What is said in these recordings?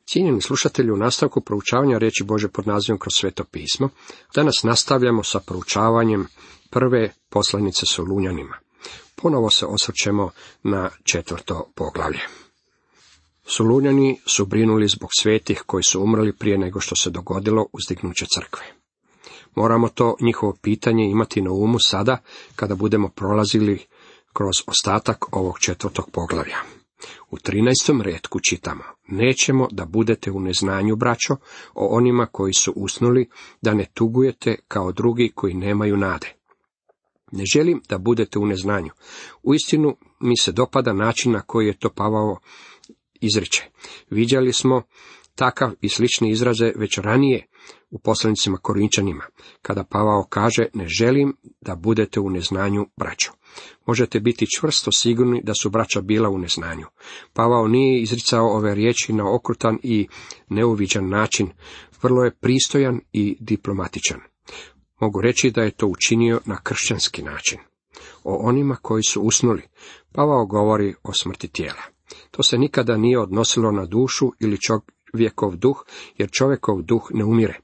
Cijenjeni slušatelji, u nastavku proučavanja riječi Božje pod nazivom Kroz sveto pismo, danas nastavljamo sa proučavanjem prve poslanice Solunjanima. Ponovo se osvrćemo na 4. poglavlje. Solunjani su brinuli zbog svetih koji su umrli prije nego što se dogodilo uzdignuće crkve. Moramo to njihovo pitanje imati na umu sada kada budemo prolazili kroz ostatak ovog 4. poglavlja. U 13. retku čitamo: nećemo da budete u neznanju, braćo, o onima koji su usnuli, da ne tugujete kao drugi koji nemaju nade. Ne želim da budete u neznanju. Uistinu mi se dopada način na koji je to Pavao izriče. Viđali smo takav i slične izraze već ranije u poslanicima Korinčanima, kada Pavao kaže: ne želim da budete u neznanju, braćo. Možete biti čvrsto sigurni da su braća bila u neznanju. Pavao nije izricao ove riječi na okrutan i neuviđan način, vrlo je pristojan i diplomatičan. Mogu reći da je to učinio na kršćanski način. O onima koji su usnuli, Pavao govori o smrti tijela. To se nikada nije odnosilo na dušu ili čovjekov duh, jer čovjekov duh ne umire.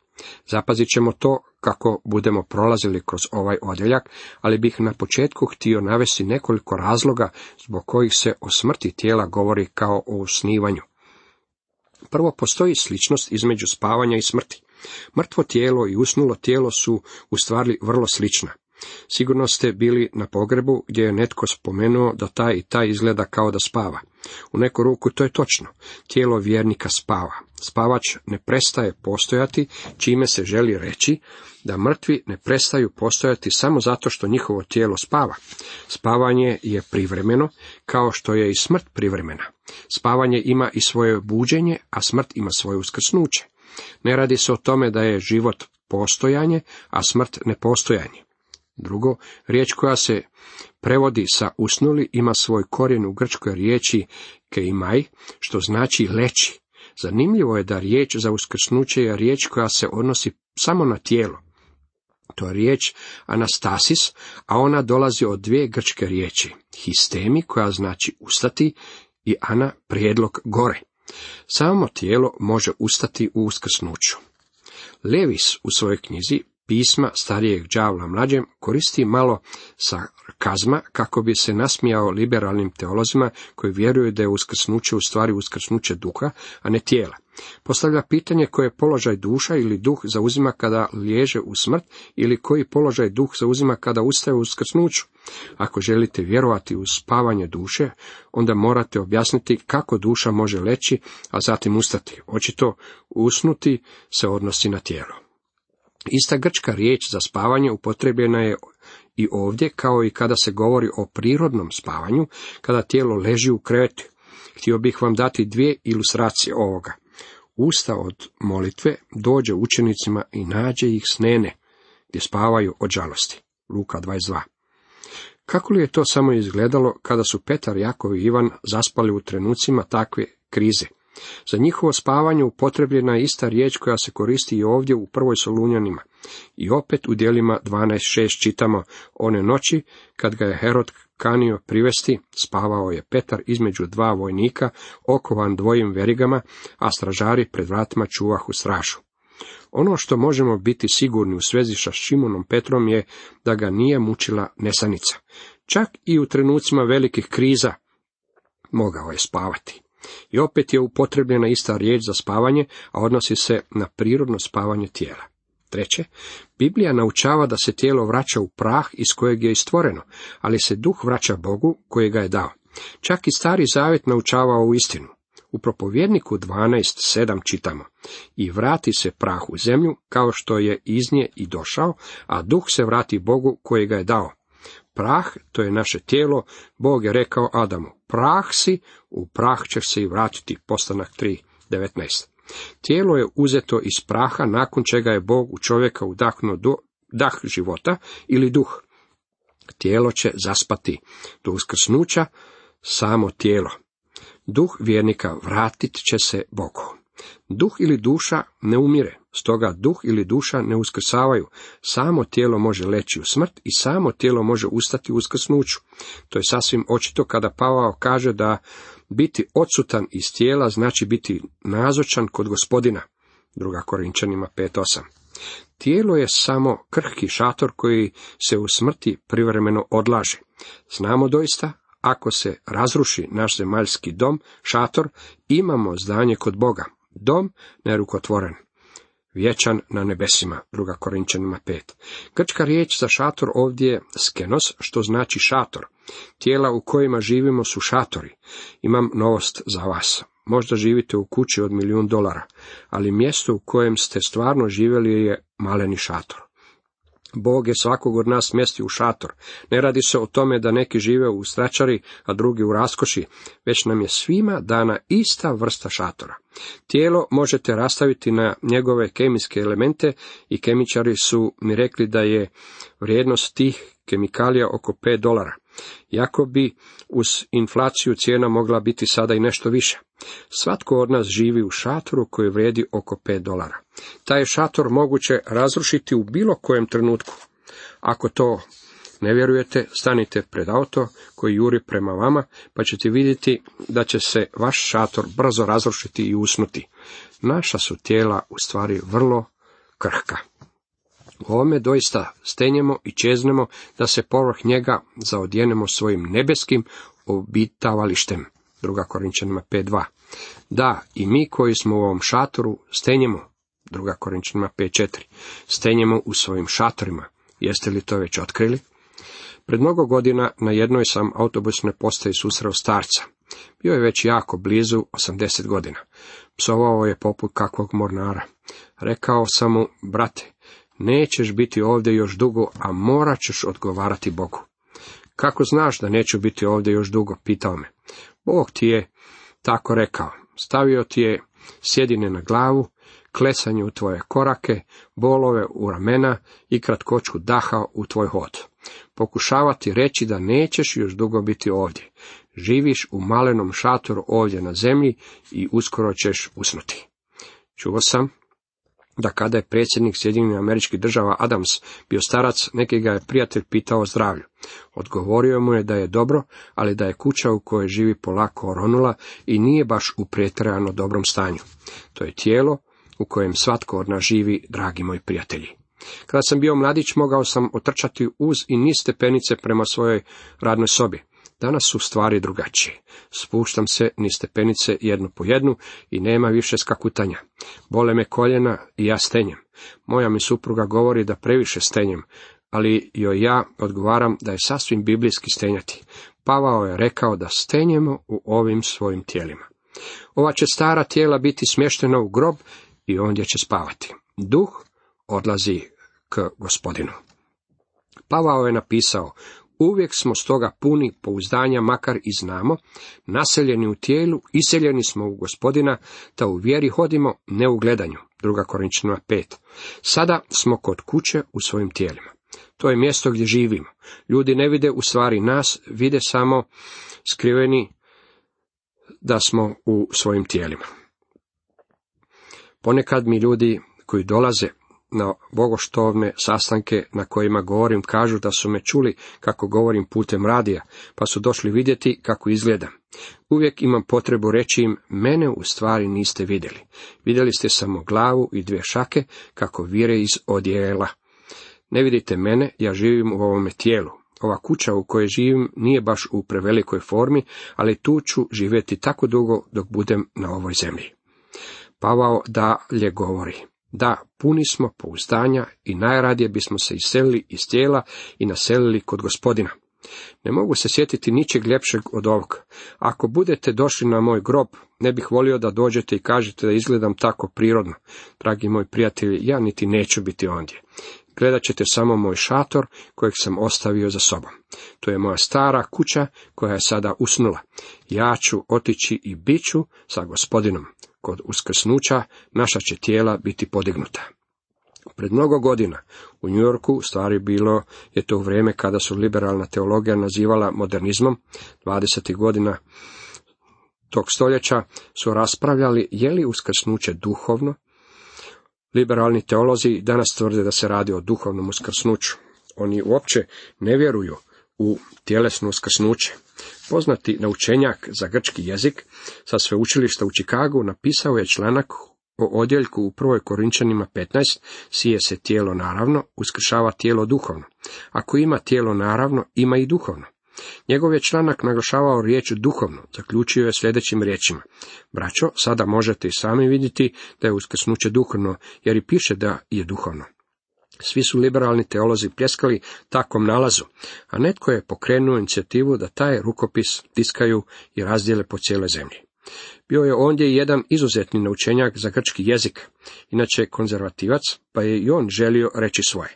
Zapazit ćemo to kako budemo prolazili kroz ovaj odjeljak, ali bih na početku htio navesti nekoliko razloga zbog kojih se o smrti tijela govori kao o usnivanju. Prvo, postoji sličnost između spavanja i smrti. Mrtvo tijelo i usnulo tijelo su u stvari vrlo slična. Sigurno ste bili na pogrebu gdje je netko spomenuo da taj i taj izgleda kao da spava. U neku ruku to je točno. Tijelo vjernika spava. Spavač ne prestaje postojati, čime se želi reći da mrtvi ne prestaju postojati samo zato što njihovo tijelo spava. Spavanje je privremeno, kao što je i smrt privremena. Spavanje ima i svoje buđenje, a smrt ima svoje uskrsnuće. Ne radi se o tome da je život postojanje, a smrt nepostojanje. Drugo, riječ koja se prevodi sa usnuli ima svoj korijen u grčkoj riječi keimai, što znači leći. Zanimljivo je da riječ za uskrsnuće je riječ koja se odnosi samo na tijelo. To je riječ anastasis, a ona dolazi od dvije grčke riječi, histemi, koja znači ustati, i ana, prijedlog gore. Samo tijelo može ustati u uskrsnuću. Levis u svojoj knjizi Pisma starijeg đavla mlađem koristi malo sarkazma kako bi se nasmijao liberalnim teolozima koji vjeruju da je uskrsnuće u stvari uskrsnuće duha, a ne tijela. Postavlja pitanje koje položaj duša ili duh zauzima kada liježe u smrt ili koji položaj duh zauzima kada ustaje u uskrsnuću. Ako želite vjerovati u spavanje duše, onda morate objasniti kako duša može leći, a zatim ustati. Očito usnuti se odnosi na tijelo. Ista grčka riječ za spavanje upotrebljena je i ovdje, kao i kada se govori o prirodnom spavanju, kada tijelo leži u krevetu. Htio bih vam dati dvije ilustracije ovoga. Usta od molitve dođe učenicima i nađe ih snene, gdje spavaju od žalosti. Luka 22. Kako li je to samo izgledalo kada su Petar, Jakov i Ivan zaspali u trenucima takve krize? Za njihovo spavanje upotrebljena je ista riječ koja se koristi i ovdje u prvoj Solunjanima. I opet u djelima 12.6 čitamo: one noći, kad ga je Herod kanio privesti, spavao je Petar između dva vojnika, okovan dvojim verigama, a stražari pred vratima čuvahu stražu. Ono što možemo biti sigurni u svezi sa Šimonom Petrom je da ga nije mučila nesanica. Čak i u trenucima velikih kriza mogao je spavati. I opet je upotrebljena ista riječ za spavanje, a odnosi se na prirodno spavanje tijela. Treće, Biblija naučava da se tijelo vraća u prah iz kojeg je stvoreno, ali se duh vraća Bogu koji ga je dao. Čak i Stari Zavjet naučava u istinu. U Propovjedniku 12.7 čitamo: i vrati se prah u zemlju kao što je iz nje i došao, a duh se vrati Bogu koji ga je dao. Prah, to je naše tijelo, Bog je rekao Adamu: prah si, u prah ćeš se i vratiti. Postanak 3.19. Tijelo je uzeto iz praha, nakon čega je Bog u čovjeka udahnuo dah života ili duh. Tijelo će zaspati do uskrsnuća, samo tijelo. Duh vjernika vratit će se Bogu. Duh ili duša ne umire, stoga duh ili duša ne uskrsavaju. Samo tijelo može leći u smrt i samo tijelo može ustati u uskrsnuću. To je sasvim očito kada Pavao kaže da Biti odsutan iz tijela znači biti nazočan kod Gospodina. 2. Korinčanima 5:8. Tijelo je samo krhki šator koji se u smrti privremeno odlaže. Znamo doista, ako se razruši naš zemaljski dom, šator, imamo zdanje kod Boga. Dom nerukotvoren, vječan na nebesima. 2. Korinčanima 5. Grčka riječ za šator ovdje je skenos, što znači šator. Tijela u kojima živimo su šatori. Imam novost za vas. Možda živite u kući od $1.000.000, ali mjesto u kojem ste stvarno živjeli je maleni šator. Bog je svakog od nas smjestio u šator. Ne radi se o tome da neki žive u stračari, a drugi u raskoši, već nam je svima dana ista vrsta šatora. Tijelo možete rastaviti na njegove kemijske elemente i kemičari su mi rekli da je vrijednost tih kemikalija oko $5. Iako bi uz inflaciju cijena mogla biti sada i nešto više. Svatko od nas živi u šatoru koji vrijedi oko $5. Taj je šator moguće razrušiti u bilo kojem trenutku. Ako to ne vjerujete, stanite pred auto koji juri prema vama, pa ćete vidjeti da će se vaš šator brzo razrušiti i usnuti. Naša su tijela u stvari vrlo krhka. U ovome doista stenjemo i čeznemo da se povrh njega zaodjenemo svojim nebeskim obitavalištem. 2. Korinčanima 5:2. Da, i mi koji smo u ovom šatoru stenjemo. 2. Korinčanima 5:4. Stenjemo u svojim šatorima. Jeste li to već otkrili? Pred mnogo godina na jednoj sam autobusnoj postaji susreo starca. Bio je već jako blizu 80 godina. Psovao je poput kakvog mornara. Rekao sam mu, brate, nećeš biti ovdje još dugo, a morat ćeš odgovarati Bogu. Kako znaš da neću biti ovdje još dugo, pitao me. Bog ti je tako rekao. Stavio ti je sjedine na glavu, klesanje u tvoje korake, bolove u ramena i kratkoću daha u tvoj hod. Pokušava ti reći da nećeš još dugo biti ovdje. Živiš u malenom šatoru ovdje na zemlji i uskoro ćeš usnuti. Čuo sam da kada je predsjednik Sjedinjenih Američkih Država Adams bio starac, neki ga je prijatelj pitao o zdravlju. Odgovorio mu je da je dobro, ali da je kuća u kojoj živi polako oronula i nije baš u pretjerano dobrom stanju. To je tijelo u kojem svatko od nas živi, dragi moji prijatelji. Kada sam bio mladić, mogao sam otrčati uz i niz stepenice prema svojoj radnoj sobi. Danas su stvari drugačije. Spuštam se niz stepenice jednu po jednu i nema više skakutanja. Bole me koljena i ja stenjem. Moja mi supruga govori da previše stenjem, ali joj ja odgovaram da je sasvim biblijski stenjati. Pavao je rekao da stenjemo u ovim svojim tijelima. Ova će stara tijela biti smještena u grob i ondje će spavati. Duh odlazi k Gospodinu. Pavao je napisao, uvijek smo stoga puni pouzdanja, makar i znamo, naseljeni u tijelu, iseljeni smo u Gospodina, da u vjeri hodimo, ne u gledanju. 2. Korinčanima 5. Sada smo kod kuće u svojim tijelima. To je mjesto gdje živimo. Ljudi ne vide u stvari nas, vide samo skriveni da smo u svojim tijelima. Ponekad mi ljudi koji dolaze na bogoštovne sastanke na kojima govorim kažu da su me čuli kako govorim putem radija, pa su došli vidjeti kako izgledam. Uvijek imam potrebu reći im, mene u stvari niste vidjeli. Vidjeli ste samo glavu i 2 šake kako vire iz odjela. Ne vidite mene, ja živim u ovome tijelu. Ova kuća u kojoj živim nije baš u prevelikoj formi, ali tu ću živjeti tako dugo dok budem na ovoj zemlji. Pavao dalje govori, da, puni smo pouzdanja i najradije bismo se iselili iz tijela i naselili kod Gospodina. Ne mogu se sjetiti ničeg ljepšeg od ovog. Ako budete došli na moj grob, ne bih volio da dođete i kažete da izgledam tako prirodno. Dragi moji prijatelji, ja niti neću biti ondje. Gledat ćete samo moj šator kojeg sam ostavio za sobom. To je moja stara kuća koja je sada usnula. Ja ću otići i bit ću sa Gospodinom. Kod uskrsnuća naša će tijela biti podignuta. Pred mnogo godina u New Yorku, stvari bilo je to u vrijeme kada su liberalna teologija nazivala modernizmom, 20. godina tog stoljeća, su raspravljali je li uskrsnuće duhovno. Liberalni teolozi danas tvrde da se radi o duhovnom uskrsnuću. Oni uopće ne vjeruju u tjelesno uskrsnuće. Poznati naučenjak za grčki jezik sa sveučilišta u Čikagu napisao je članak o odjeljku u 1. Korinčanima 15, sije se tijelo naravno, uskršava tijelo duhovno. Ako ima tijelo naravno, ima i duhovno. Njegov je članak naglašavao riječ duhovno, zaključio je sljedećim riječima. Braćo, sada možete i sami vidjeti da je uskrsnuće duhovno, jer i piše da je duhovno. Svi su liberalni teolozi pljeskali takvom nalazu, a netko je pokrenuo inicijativu da taj rukopis tiskaju i razdijele po cijeloj zemlji. Bio je ondje jedan izuzetni naučenjak za grčki jezik, inače konzervativac, pa je i on želio reći svoje.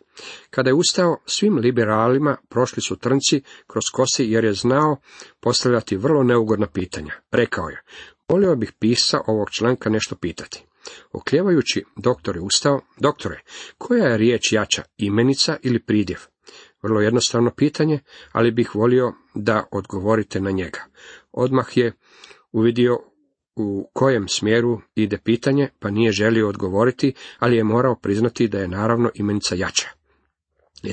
Kada je ustao, svim liberalima prošli su trnci kroz kosi jer je znao postavljati vrlo neugodna pitanja. Rekao je, volio bih pisa ovog članka nešto pitati. Oklijevajući, doktor je ustao. Doktore, koja je riječ jača, imenica ili pridjev? Vrlo jednostavno pitanje, ali bih volio da odgovorite na njega. Odmah je uvidio u kojem smjeru ide pitanje, pa nije želio odgovoriti, ali je morao priznati da je naravno imenica jača.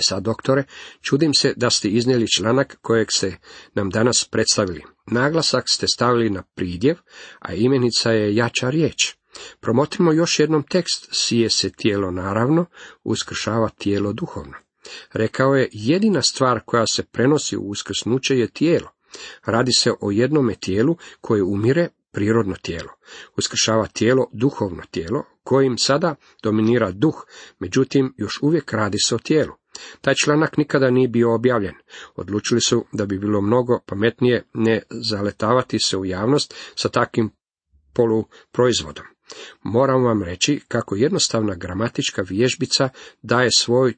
Sad, doktore, čudim se da ste iznijeli članak kojeg ste nam danas predstavili. Naglasak ste stavili na pridjev, a imenica je jača riječ. Promotrimo još jednom tekst, sije se tijelo naravno, uskršava tijelo duhovno. Rekao je, jedina stvar koja se prenosi u uskrsnuće je tijelo. Radi se o jednome tijelu koje umire, prirodno tijelo. Uskršava tijelo, duhovno tijelo, kojim sada dominira duh, međutim još uvijek radi se o tijelu. Taj članak nikada nije bio objavljen. Odlučili su da bi bilo mnogo pametnije ne zaletavati se u javnost sa takvim poluproizvodom. Moram vam reći kako jednostavna gramatička vježbica daje svoj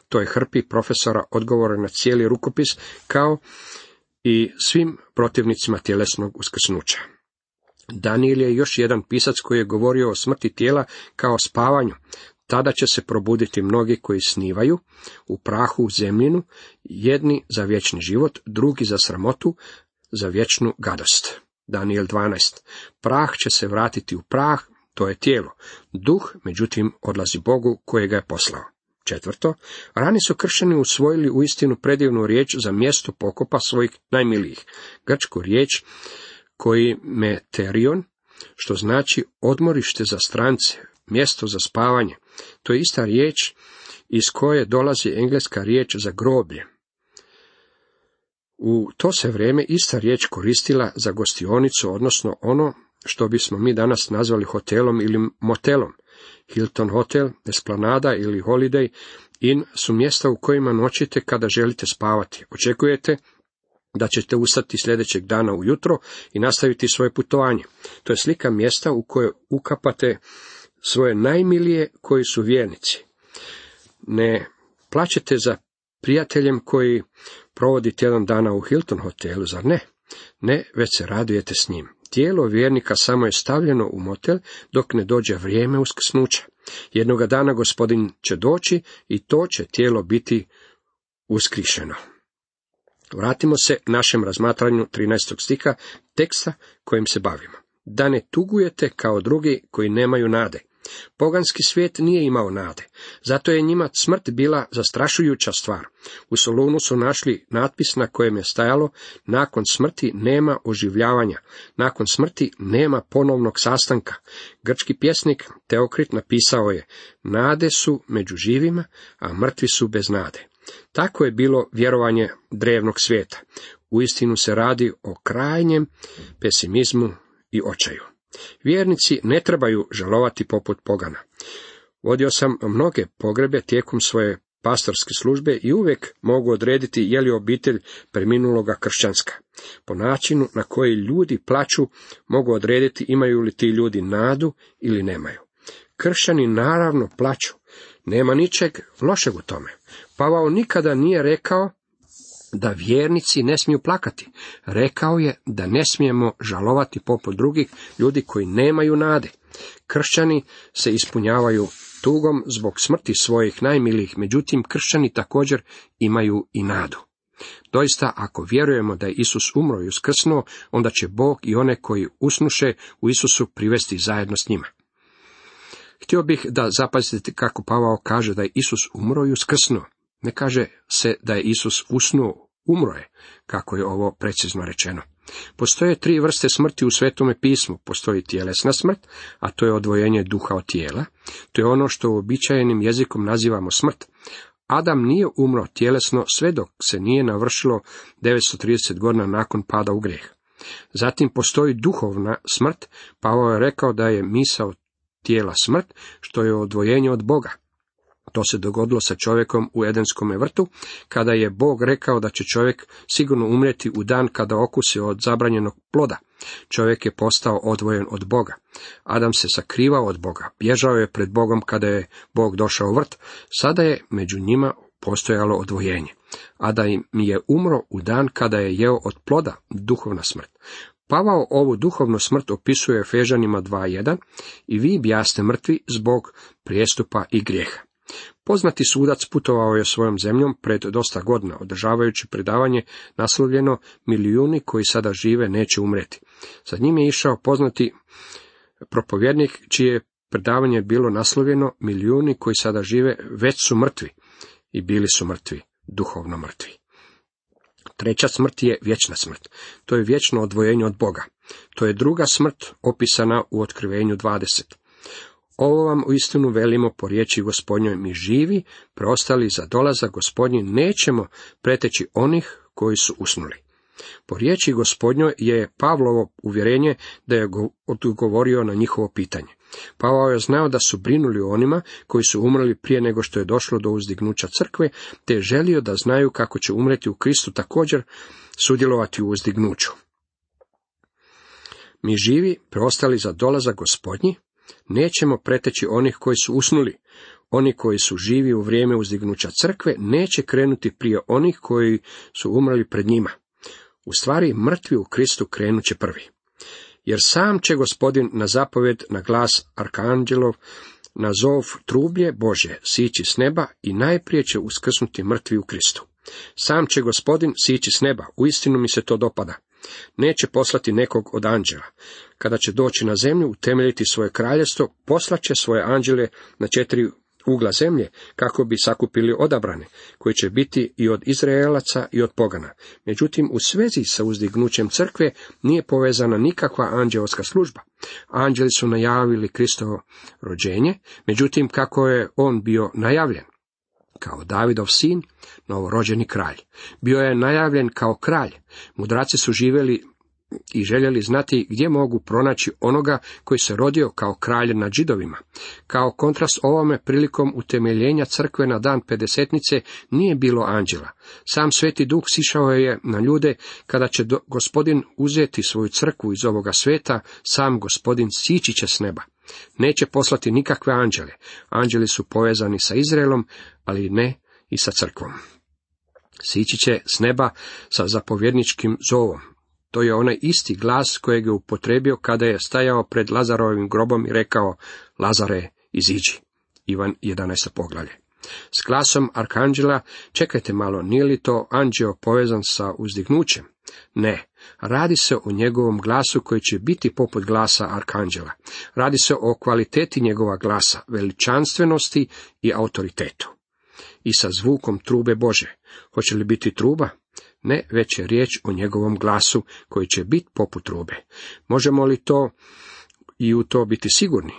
toj hrpi profesora odgovore na cijeli rukopis, kao i svim protivnicima tjelesnog uskrsnuća. Daniel je još jedan pisac koji je govorio o smrti tijela kao spavanju. Tada će se probuditi mnogi koji snivaju u prahu u zemljinu, jedni za vječni život, drugi za sramotu, za vječnu gadost. Daniel 12. Prah će se vratiti u prah, to je tijelo. Duh, međutim, odlazi Bogu koji ga je poslao. 4. Rani su kršćani usvojili uistinu predivnu riječ za mjesto pokopa svojih najmilijih. Grčku riječ koji meterion, što znači odmorište za strance, mjesto za spavanje. To je ista riječ iz koje dolazi engleska riječ za groblje. U to se vrijeme ista riječ koristila za gostionicu, odnosno ono što bismo mi danas nazvali hotelom ili motelom. Hilton hotel, Esplanada ili Holiday Inn su mjesta u kojima noćite kada želite spavati. Očekujete da ćete ustati sljedećeg dana ujutro i nastaviti svoje putovanje. To je slika mjesta u koje ukapate svoje najmilije koji su vjernici. Ne plaćete za prijateljem koji provodi tjedan dana u Hilton hotelu, zar ne? Ne, već se radujete s njim. Tijelo vjernika samo je stavljeno u motel dok ne dođe vrijeme uskrsnuća. Jednoga dana Gospodin će doći i to će tijelo biti uskrišeno. Vratimo se našem razmatranju 13. stiha teksta kojim se bavimo. Da ne tugujete kao drugi koji nemaju nade. Poganski svijet nije imao nade, zato je njima smrt bila zastrašujuća stvar. U Solunu su našli natpis na kojem je stajalo: nakon smrti nema oživljavanja, nakon smrti nema ponovnog sastanka. Grčki pjesnik Teokrit napisao je: nade su među živima, a mrtvi su bez nade. Tako je bilo vjerovanje drevnog svijeta. Uistinu se radi o krajnjem pesimizmu i očaju. Vjernici ne trebaju žalovati poput pogana. Vodio sam mnoge pogrebe tijekom svoje pastorske službe i uvijek mogu odrediti je li obitelj preminuloga kršćanska. Po načinu na koji ljudi plaću mogu odrediti imaju li ti ljudi nadu ili nemaju. Kršćani naravno plaću. Nema ničeg lošeg u tome. Pavao nikada nije rekao da vjernici ne smiju plakati. Rekao je da ne smijemo žalovati poput drugih ljudi koji nemaju nade. Kršćani se ispunjavaju tugom zbog smrti svojih najmilijih, međutim kršćani također imaju i nadu. Doista, ako vjerujemo da je Isus umro i uskrsnuo, onda će Bog i one koji usnuše u Isusu privesti zajedno s njima. Htio bih da zapazite kako Pavao kaže da je Isus umro i uskrsnuo. Ne kaže se da je Isus usnuo umro je, kako je ovo precizno rečeno. Postoje 3 vrste smrti u Svetome pismu. Postoji tjelesna smrt, a to je odvojenje duha od tijela. To je ono što uobičajenim jezikom nazivamo smrt. Adam nije umro tjelesno sve dok se nije navršilo 930 godina nakon pada u grijeh. Zatim postoji duhovna smrt. Pavao je rekao da je misao tijela smrt, što je odvojenje od Boga. To se dogodilo sa čovjekom u Edenskome vrtu, kada je Bog rekao da će čovjek sigurno umrijeti u dan kada okusi od zabranjenog ploda. Čovjek je postao odvojen od Boga. Adam se sakrivao od Boga, bježao je pred Bogom kada je Bog došao u vrt. Sada je među njima postojalo odvojenje. Adam je umro u dan kada je jeo od ploda, duhovna smrt. Pavao ovu duhovnu smrt opisuje Efežanima 2:1 i vi bjaste mrtvi zbog prijestupa i grijeha. Poznati sudac putovao je svojom zemljom pred dosta godina, održavajući predavanje naslovljeno "Milijuni koji sada žive neće umreti". Za njim je išao poznati propovjednik čije predavanje bilo naslovljeno "Milijuni koji sada žive već su mrtvi", i bili su mrtvi, duhovno mrtvi. 3. smrt je vječna smrt. To je vječno odvojenje od Boga. To je druga smrt opisana u Otkrivenju 20. Ovo vam uistinu velimo po riječi Gospodnjoj, mi živi, preostali za dolazak Gospodnji, nećemo preteći onih koji su usnuli. Po riječi Gospodnjoj je Pavlovo uvjerenje da je odgovorio na njihovo pitanje. Pavao je znao da su brinuli o onima koji su umrli prije nego što je došlo do uzdignuća crkve, te je želio da znaju kako će umreti u Kristu također sudjelovati u uzdignuću. Mi živi, preostali za dolazak Gospodnji, nećemo preteći onih koji su usnuli. Oni koji su živi u vrijeme uzdignuća crkve neće krenuti prije onih koji su umrli pred njima. U stvari, mrtvi u Kristu krenut će prvi. Jer sam će Gospodin na zapovjed, na glas arkanđelov, na zov trublje Božje sići s neba i najprije će uskrsnuti mrtvi u Kristu. Sam će Gospodin sići s neba, uistinu mi se to dopada. Neće poslati nekog od anđela. Kada će doći na zemlju, utemeljiti svoje kraljevstvo, poslaće svoje anđele na 4 ugla zemlje, kako bi sakupili odabrane, koji će biti i od Izraelaca i od pogana. Međutim, u svezi sa uzdignućem crkve nije povezana nikakva anđeoska služba. Anđeli su najavili Kristovo rođenje, međutim, kako je on bio najavljen? Kao Davidov sin, novorođeni kralj. Bio je najavljen kao kralj. Mudraci su živjeli i željeli znati gdje mogu pronaći onoga koji se rodio kao kralj nad Židovima. Kao kontrast ovome, prilikom utemeljenja crkve na dan Pedesetnice nije bilo anđela. Sam Sveti Duh sišao je na ljude kada će Gospodin uzeti svoju crkvu iz ovoga svijeta, sam Gospodin sići će s neba. Neće poslati nikakve anđele. Anđeli su povezani sa Izraelom, ali ne i sa crkvom. Sići će s neba sa zapovjedničkim zovom. To je onaj isti glas kojeg je upotrijebio kada je stajao pred Lazarovim grobom i rekao: Lazare, iziđi. Ivan 11. poglavlje. S glasom arkanđela, čekajte malo, nije li to anđeo povezan sa uzdignućem? Ne, radi se o njegovom glasu koji će biti poput glasa arkanđela. Radi se o kvaliteti njegova glasa, veličanstvenosti i autoritetu. I sa zvukom trube Bože. Hoće li biti truba? Ne, već je riječ o njegovom glasu koji će biti poput trube. Možemo li to i u to biti sigurni?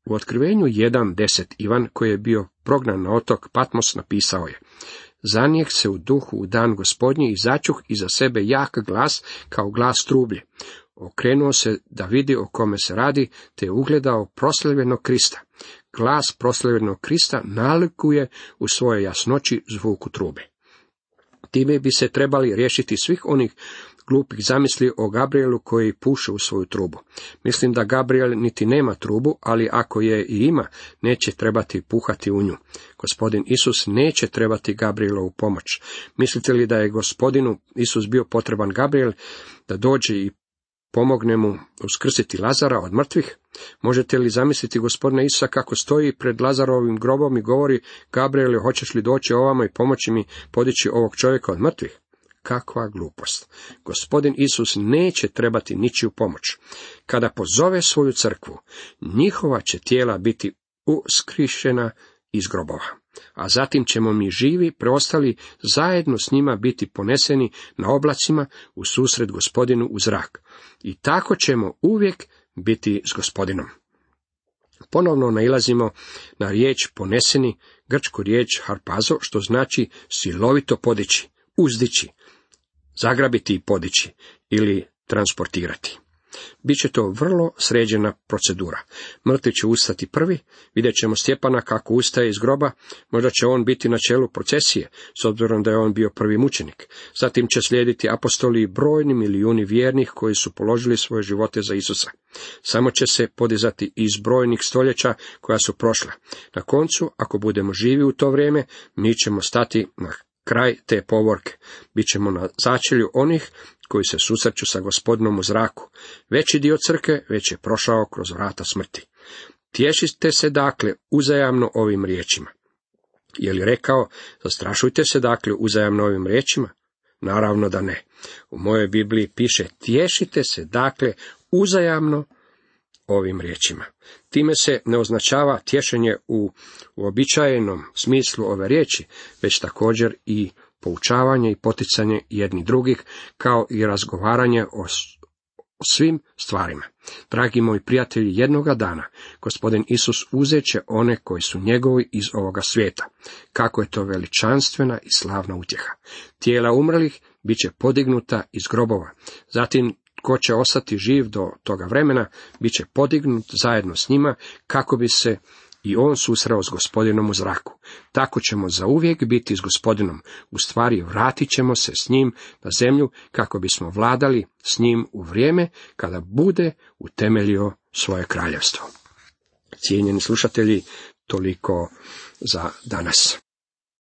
U Otkrivenju 1.10 Ivan, koji je bio prognan na otok Patmos, napisao je: Zanijeh se u duhu u dan Gospodnji i začuh iza sebe jak glas kao glas trublje. Okrenuo se da vidi o kome se radi, te je ugledao proslavljenog Krista. Glas proslavljenog Krista nalikuje u svojoj jasnoći zvuku trube. Time bi se trebali riješiti svih onih glupih zamisli o Gabrielu koji puše u svoju trubu. Mislim da Gabriel niti nema trubu, ali ako je i ima, neće trebati puhati u nju. Gospodin Isus neće trebati Gabrielovu pomoć. Mislite li da je Gospodinu Isus bio potreban Gabriel da dođe i pomogne mu uskrsiti Lazara od mrtvih? Možete li zamisliti Gospodina Isusa kako stoji pred Lazarovim grobom i govori: Gabriele, hoćeš li doći ovamo i pomoći mi podići ovog čovjeka od mrtvih? Kakva glupost! Gospodin Isus neće trebati ničiju pomoć. Kada pozove svoju crkvu, njihova će tijela biti uskrišena iz grobova. a zatim ćemo mi živi preostali zajedno s njima biti poneseni na oblacima u susret Gospodinu u zrak. I tako ćemo uvijek biti s Gospodinom. Ponovno nailazimo na riječ poneseni, grčku riječ harpazo, što znači silovito podići, uzdići, zagrabiti i podići ili transportirati. Biće to vrlo sređena procedura. Mrtvi će ustati prvi, vidjet ćemo Stjepana kako ustaje iz groba, možda će on biti na čelu procesije, s obzirom da je on bio prvi mučenik. Zatim će slijediti apostoli i brojni milijuni vjernih koji su položili svoje živote za Isusa. Samo će se podizati iz brojnih stoljeća koja su prošla. Na koncu, ako budemo živi u to vrijeme, mi ćemo stati na kraj te povorke. Bićemo na začelju onih koji se susreću sa Gospodinom u zraku. Veći dio crkve već je prošao kroz vrata smrti. Tješite se dakle uzajamno ovim riječima. Je li rekao, zastrašujte se dakle uzajamno ovim riječima? Naravno da ne. U mojoj Bibliji piše, tješite se dakle uzajamno ovim riječima. Time se ne označava tješenje u uobičajenom smislu ove riječi, već također i poučavanje i poticanje jedni drugih, kao i razgovaranje o svim stvarima. Dragi moji prijatelji, jednoga dana Gospodin Isus uzet će one koji su njegovi iz ovoga svijeta. Kako je to veličanstvena i slavna utjeha. Tijela umrlih bit će podignuta iz grobova. Zatim tko će ostati živ do toga vremena, bit će podignut zajedno s njima, kako bi se i on susreo s Gospodinom u zraku. Tako ćemo zauvijek biti s Gospodinom. U stvari vratit ćemo se s njim na zemlju, kako bismo vladali s njim u vrijeme kada bude utemeljio svoje kraljevstvo. Cijenjeni slušatelji, toliko za danas.